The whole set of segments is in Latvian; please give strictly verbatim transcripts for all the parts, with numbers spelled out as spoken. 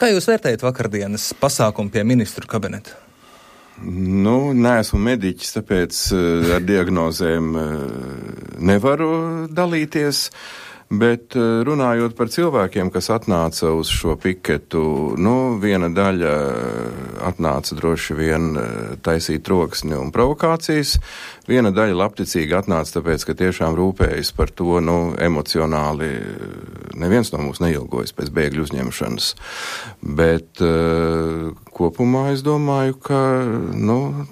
Kā jūs vērtējat vakardienas pasākumu pie ministru kabineta? Nu, neesmu mediķis, tāpēc ar diagnozēm nevaru dalīties. Bet runājot par cilvēkiem, kas atnāca uz šo piketu, nu, viena daļa atnāca droši vien taisīt troksni un provokācijas, viena daļa labticīgi atnāca tāpēc, ka tiešām rūpējas par to, nu, emocionāli neviens no mums neilgojas pēc bēgļu uzņemšanas. Bet uh, kopumā es domāju, ka, nu,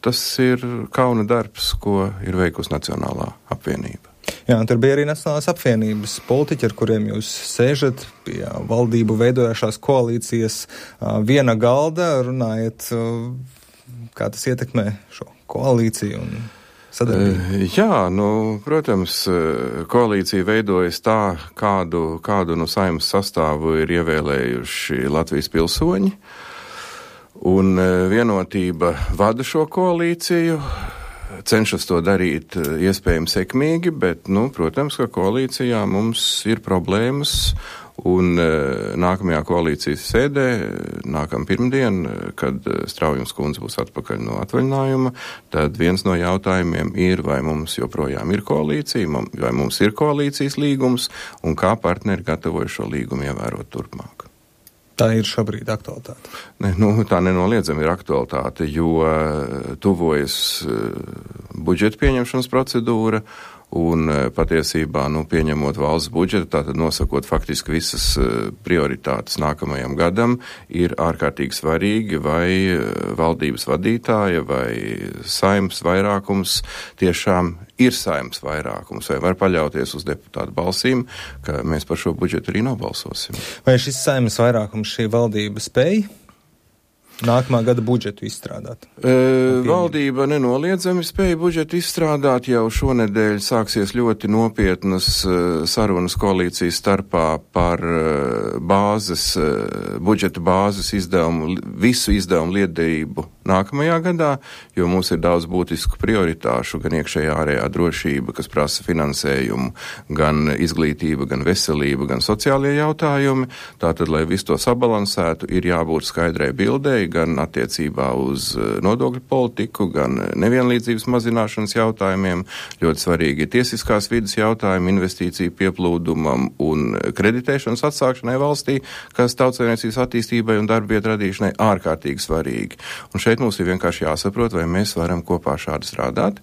tas ir kauna darbs, ko ir veikusi Nacionālā apvienība. Jā, un tur bija arī Nacionālās apvienības politiķi, ar kuriem jūs sēžat pie valdību veidojušās koalīcijas viena galda, runājat, kā tas ietekmē šo koalīciju un sadarbību. Jā, nu, protams, koalīcija veidojas tā, kādu, kādu no Saeimas sastāvu ir ievēlējuši Latvijas pilsoņi, un Vienotība vada šo koalīciju. Cenšas to darīt iespējami sekmīgi, bet, nu, protams, ka koalīcijā mums ir problēmas, un nākamajā koalīcijas sēdē, nākam pirmdien, kad Straujums kundze būs atpakaļ no atvaļinājuma, tad viens no jautājumiem ir, vai mums joprojām ir koalīcija, vai mums ir koalīcijas līgums, un kā partneri gatavoja šo līgumu ievērot turpmāk. Tā ir šobrīd aktualitāte. Ne, nu, tā nenoliedzami ir aktualitāte, jo tuvojas budžeta pieņemšanas procedūra un patiesībā, nu, pieņemot valsts budžetu, tātad nosakot faktiski visas prioritātes nākamajam gadam, ir ārkārtīgi svarīgi, vai valdības vadītāja vai Saeimas vairākums tiešām ir Saeimas vairākums, vai var paļauties uz deputātu balsīm, ka mēs par šo budžetu arī nobalsosim. Vai šis Saeimas vairākums šī valdība spēj nākamā gada budžetu izstrādāt? E, valdība nenoliedzami spēja budžetu izstrādāt. Jau šonedēļ sāksies ļoti nopietnas sarunas koalīcijas starpā par bāzes, budžeta bāzes izdevumu, visu izdevumu lietderību nākamajā gadā, jo mums ir daudz būtisku prioritāšu, gan iekšējā ārējā drošība, kas prasa finansējumu, gan izglītība, gan veselība, gan sociālie jautājumi. Tātad, lai visu to sabalansētu, ir jābūt skaidrai bildei, gan attiecībā uz nodokļu politiku, gan nevienlīdzības mazināšanas jautājumiem. Ļoti svarīgi ir tiesiskās vidas jautājumi, investīciju pieplūdumam un kreditēšanas atsākšanai valstī, kas tautsaimniecības attīstībai un darba vietu radīšanai ārkārtīgi svarīgi. Un šeit mums ir vienkārši jāsaprot, vai mēs varam kopā šādi strādāt.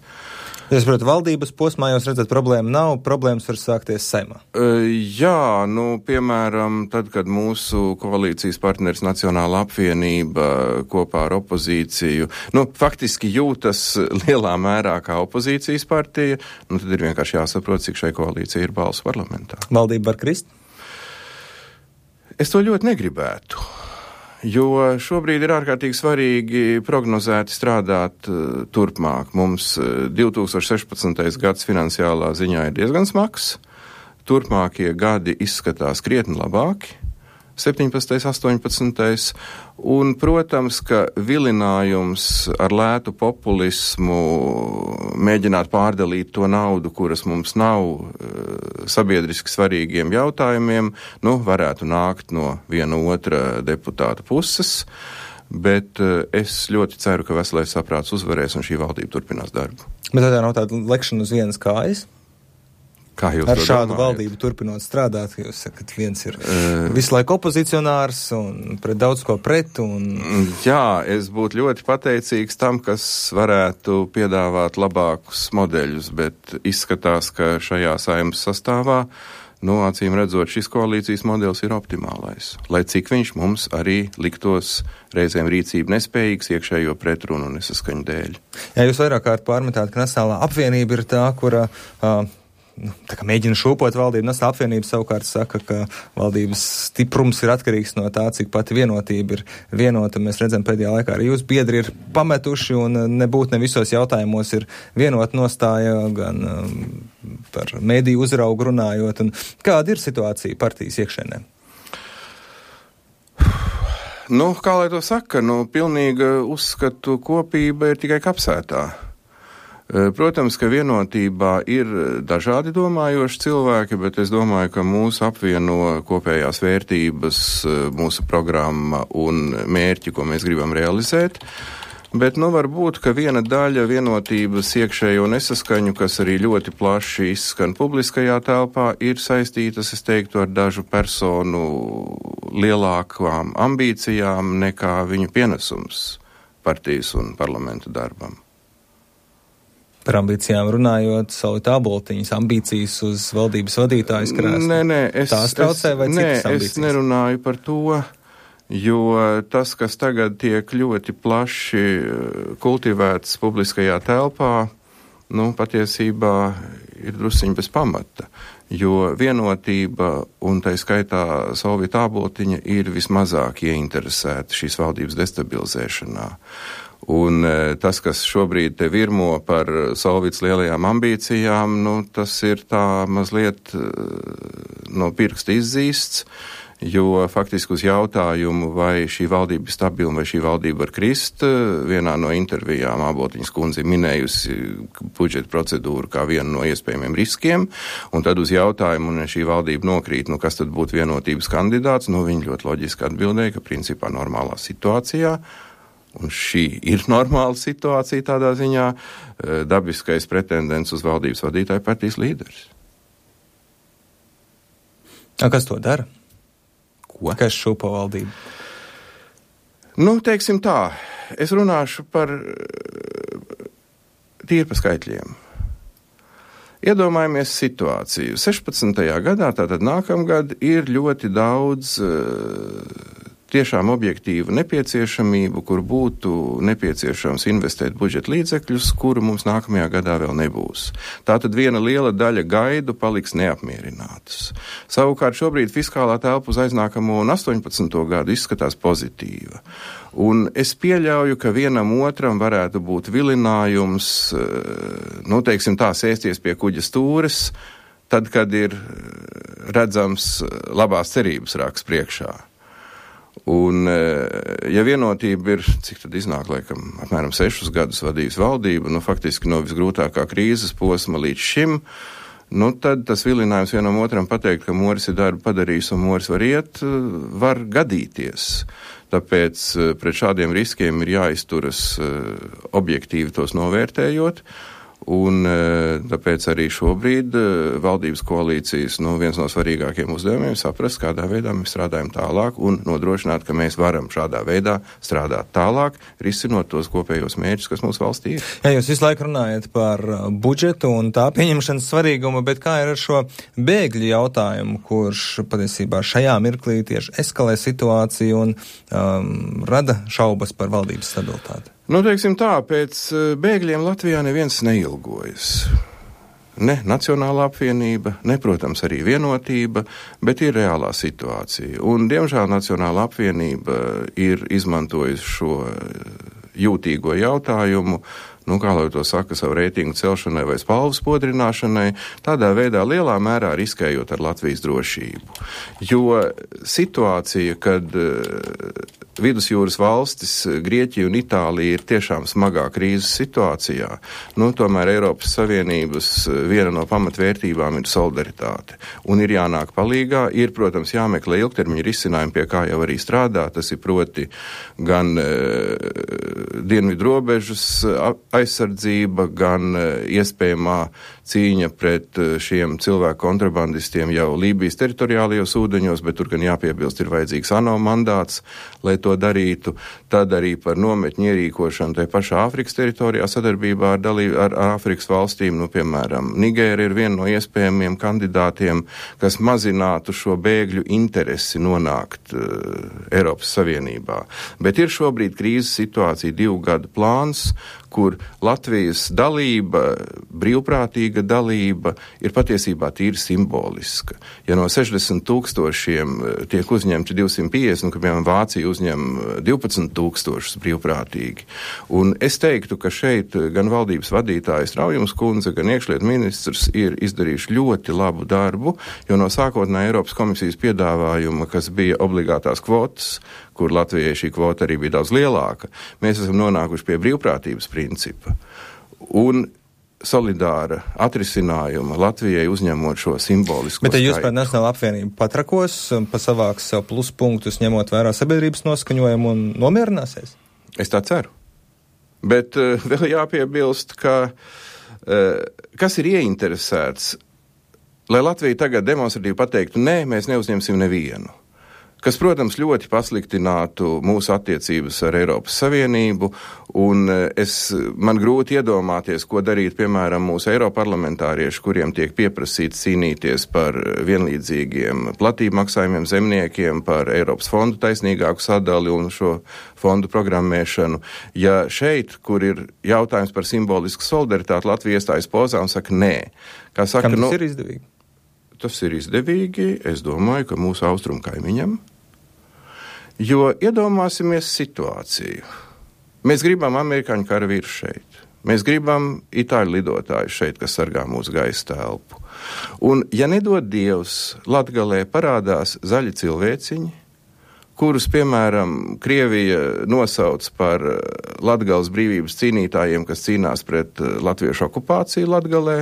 Es saprotu, valdības posmā jūs redzat, problēma nav, problēmas var sākties Saeimā. Uh, jā, nu, piemēram, tad, kad mūsu koalīcijas partneris Nacionāla apvienība kopā ar opozīciju, nu, faktiski jūtas lielā mērā kā opozīcijas partija, nu, tad ir vienkārši jāsaprot, cik šai koalīcija ir balsu parlamentā. Valdība var krist? Es to ļoti negribētu. Jo šobrīd ir ārkārtīgi svarīgi prognozēti strādāt uh, turpmāk. Mums uh, divi tūkstoši sešpadsmitais gads finansiālā ziņā ir diezgan smags. Turpmākie gadi izskatās krietni labāki. septiņpadsmitais, astoņpadsmitais Un, protams, ka vilinājums ar lētu populismu mēģināt pārdalīt to naudu, kuras mums nav sabiedriski svarīgiem jautājumiem, nu, varētu nākt no viena otra deputāta puses, bet es ļoti ceru, ka veselais saprāts uzvarēs un šī valdība turpinās darbu. Bet tādā nav tāda lekšana uz vienas kājas? Ar šādu valdību turpinot strādāt, jūs sakat, viens ir uh, visu laiku opozicionārs un pret daudz ko pret. Un... Jā, es būtu ļoti pateicīgs tam, kas varētu piedāvāt labākus modeļus, bet izskatās, ka šajā Saeimas sastāvā, nu, acīm redzot, šis koalīcijas modelis ir optimālais, lai cik viņš mums arī liktos reizēm rīcību nespējīgs iekšējo pretrunu un nesaskaņu dēļ. Jā, jūs vairāk kārt pārmetāt, ka Nacionālā apvienība ir tā, kura... Uh, Nu, tā kā mēģina šūpot valdību, Nacionālā apvienība savukārt saka, ka valdības stiprums ir atkarīgs no tā, cik pati vienotība ir vienota. Mēs redzam, pēdējā laikā arī jūs biedri ir pametuši un nebūt ne visos jautājumos ir vienota nostāja, gan um, par mediju uzraugu runājot. Un kāda ir situācija partijas iekšēnē? Nu, kā lai to saka, nu, pilnīga uzskatu kopība ir tikai kapsētā. Protams, ka vienotībā ir dažādi domājoši cilvēki, bet es domāju, ka mūsu apvieno kopējās vērtības, mūsu programma un mērķi, ko mēs gribam realizēt. Bet, nu, varbūt, ka viena daļa vienotības iekšējo nesaskaņu, kas arī ļoti plaši izskan publiskajā telpā, ir saistītas, es teiktu, ar dažu personu lielākām ambīcijām nekā viņu pienesums partijas un parlamenta darbam. Par ambīcijām runājot, Solvita Āboltiņas ambīcijas uz valdības vadītājas krēslu. Nē, nē, es, tās traucē vai es, citas nē, ambīcijas? Es nerunāju par to, jo tas, kas tagad tiek ļoti plaši kultivēts publiskajā telpā, nu, patiesībā ir drusciņi bez pamata, jo vienotība un tai skaitā Solvita Āboltiņa ir vismazāk ieinteresēta šīs valdības destabilizēšanā. Un tas, kas šobrīd te virmo par Solvitas lielajām ambīcijām, nu, tas ir tā mazliet no pirksta izzīsts, jo faktiski uz jautājumu, vai šī valdība ir stabila, vai šī valdība var krist, vienā no intervijām Āboltiņas kundze minējusi budžeta procedūru kā vienu no iespējamiem riskiem, un tad uz jautājumu, un šī valdība nokrīt, nu, kas tad būtu vienotības kandidāts, nu, viņi ļoti loģiski atbildēja, ka principā normālā situācijā, un šī ir normāla situācija tādā ziņā, dabiskais pretendents uz valdības vadītāju partijas līderis. A, kas to dara? Ko? Kas šūpo valdību? Nu, teiksim tā, es runāšu par tīri pa skaitļiem. Iedomājamies situāciju. sešpadsmitajā gadā, tātad nākamgad, ir ļoti daudz tiešām objektīvu nepieciešamību, kur būtu nepieciešams investēt budžeta līdzekļus, kuru mums nākamajā gadā vēl nebūs. Tātad viena liela daļa gaidu paliks neapmierinātas. Savukārt šobrīd fiskālā telpa uz aiznākamo un astoņpadsmito gadu izskatās pozitīva. Un es pieļauju, ka vienam otram varētu būt vilinājums, nu, teiksim tā, sēsties pie kuģa stūres, tad, kad ir redzams labās cerības raks priekšā. Un, ja vienotība ir, cik tad iznāk, laikam, apmēram sešus gadus vadījis valdību, nu, faktiski no visgrūtākā krīzes posma līdz šim, nu, tad tas vilinājums vienam otram pateikt, ka Moris ir darbu padarījis un Moris var iet, var gadīties. Tāpēc pret šādiem riskiem ir jāizturas objektīvi tos novērtējot. Un tāpēc arī šobrīd valdības koalīcijas, nu, viens no svarīgākiem uzdevumiem saprast, kādā veidā mēs strādājam tālāk un nodrošināt, ka mēs varam šādā veidā strādāt tālāk, risinot tos kopējos mērķus, kas mūsu valstī ir. Jā, jūs visu laiku runājat par budžetu un tā pieņemšanas svarīgumu, bet kā ir ar šo bēgļu jautājumu, kurš patiesībā šajā mirklī tieši eskalē situāciju un um, rada šaubas par valdības stabilitāti? Nu, teiksim tā, pēc bēgļiem Latvijā neviens neilgojas. Ne Nacionālā apvienība, ne, protams, arī vienotība, bet ir reālā situācija. Un, diemžēl, Nacionālā apvienība ir izmantojusi šo jūtīgo jautājumu, nu, kā lai to saka, savu reitingu celšanai vai spalvu spodrināšanai, tādā veidā lielā mērā riskējot ar Latvijas drošību. Jo situācija, kad vidusjūras valstis, Grieķija un Itālija ir tiešām smagā krīzes situācijā, nu, tomēr Eiropas Savienības viena no pamatvērtībām ir solidaritāte. Un ir jānāk palīgā, ir, protams, jāmeklē ilgtermiņa risinājumi, pie kā jau arī strādā, tas ir proti gan e, dienvidu robežas aizsardzība, gan e, iespējamā cīņa pret šiem cilvēku kontrabandistiem jau Lībijas teritoriālajos ūdeņos, bet tur gan jāpiebilst ir vajadzīgs ANO mandāts, lai to darītu. Tad arī par nometņu ierīkošanu tai pašā Āfrikas teritorijā sadarbībā ar, dalī, ar Āfrikas valstīm, nu, piemēram, Nigēra ir viena no iespējamiem kandidātiem, kas mazinātu šo bēgļu interesi nonākt uh, Eiropas Savienībā. Bet ir šobrīd krīzes situācija, divu gadu plāns, kur Latvijas dalība, brīvprātīga dalība ir patiesībā tīri simboliska. Ja no sešdesmit tūkstošiem tiek uzņemti divsimt piecdesmit, nu, ka, piemēram, Vācija uzņem divpadsmit tūkstošus brīvprātīgi. Un es teiktu, ka šeit gan valdības vadītājs Raujums kundze, gan iekšlietu ministrs ir izdarījuši ļoti labu darbu, jo no sākotnē Eiropas komisijas piedāvājuma, kas bija obligātās kvotas, kur Latvijai šī kvota arī bija daudz lielāka, mēs esam nonākuši pie brīvprātības principa. Un solidāra atrisinājuma Latvijai uzņemot šo simbolisko Bet, ja jūs skaitu. par Nacionālo apvienību patrakos, pasavāks pluspunktus, ņemot vērā sabiedrības noskaņojumu un nomierināsies? Es tā ceru. Bet uh, vēl jāpiebilst, ka uh, kas ir ieinteresēts, lai Latvija tagad demonstratīvi pateiktu, nē, mēs neuzņemsim nevienu. Kas, protams, ļoti pasliktinātu mūsu attiecības ar Eiropas Savienību, un es, man grūti iedomāties, ko darīt, piemēram, mūsu eiroparlamentārieši, kuriem tiek pieprasīts cīnīties par vienlīdzīgiem platību maksājumiem zemniekiem, par Eiropas fondu taisnīgāku sadali un šo fondu programmēšanu. Ja šeit, kur ir jautājums par simbolisku solidaritāti, Latvija iestājas pozā un saka nē. Kā saka, Kam tas nu, ir izdevīgi? Tas ir izdevīgi, es domāju, ka mūsu austrumu kaimiņam. Jo iedomāsimies situāciju. Mēs gribam amerikāņu karavīru šeit. Mēs gribam itāļu lidotāju šeit, kas sargā mūsu gaisa telpu. Un, ja nedod Dievs, Latgalē parādās zaļi cilvēciņi, kurus, piemēram, Krievija nosauc par Latgales brīvības cīnītājiem, kas cīnās pret latviešu okupāciju Latgalē,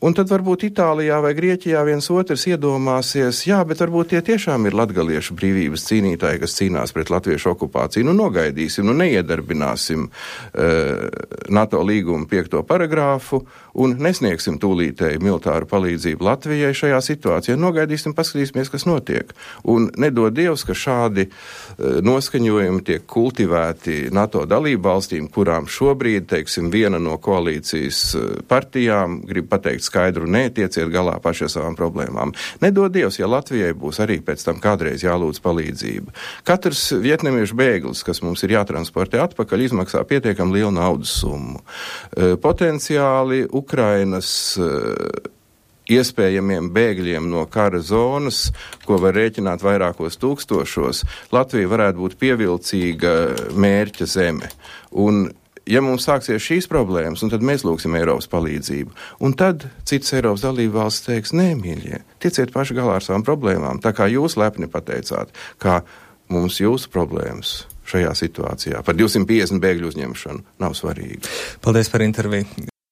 un tad varbūt Itālijā vai Grieķijā viens otrs iedomāsies, jā, bet varbūt tie tiešām ir latgaliešu brīvības cīnītāji, kas cīnās pret latviešu okupāciju. Nu, nogaidīsim, nu, neiedarbināsim uh, NATO līguma piekto paragrāfu un nesniegsim tūlītēji militāru palīdzību Latvijai šajā situācijā. Nogaidīsim, paskatīsimies, kas notiek. Un nedod Dievs, ka šādi uh, noskaņojumi tiek kultivēti NATO dalību valstīm, kurām šobrīd, teiksim, viena no koalīcijas uh, partijām grib pateikt skaidru, nē, tieciet galā paši ar savām problēmām. Nedod Dievs, ja Latvijai būs arī pēc tam kādreiz jālūdz palīdzība. Katrs vietnamiešu bēglis, kas mums ir jātransportē atpakaļ, izmaksā pietiekami lielu naudas summu. E, potenciāli Ukrainas e, iespējamiem bēgļiem no kara zonas, ko var rēķināt vairākos tūkstošos, Latvija varētu būt pievilcīga mērķa zeme. Un ja mums sāksies šīs problēmas, un tad mēs lūgsim Eiropas palīdzību, un tad citas Eiropas dalība valsts teiks, nē, mīļie, tieciet paši galā ar savām problēmām, tā kā jūs lepni pateicāt, kā mums jūsu problēmas šajā situācijā par divsimt piecdesmit bēgļu uzņemšanu nav svarīgi. Paldies par interviju.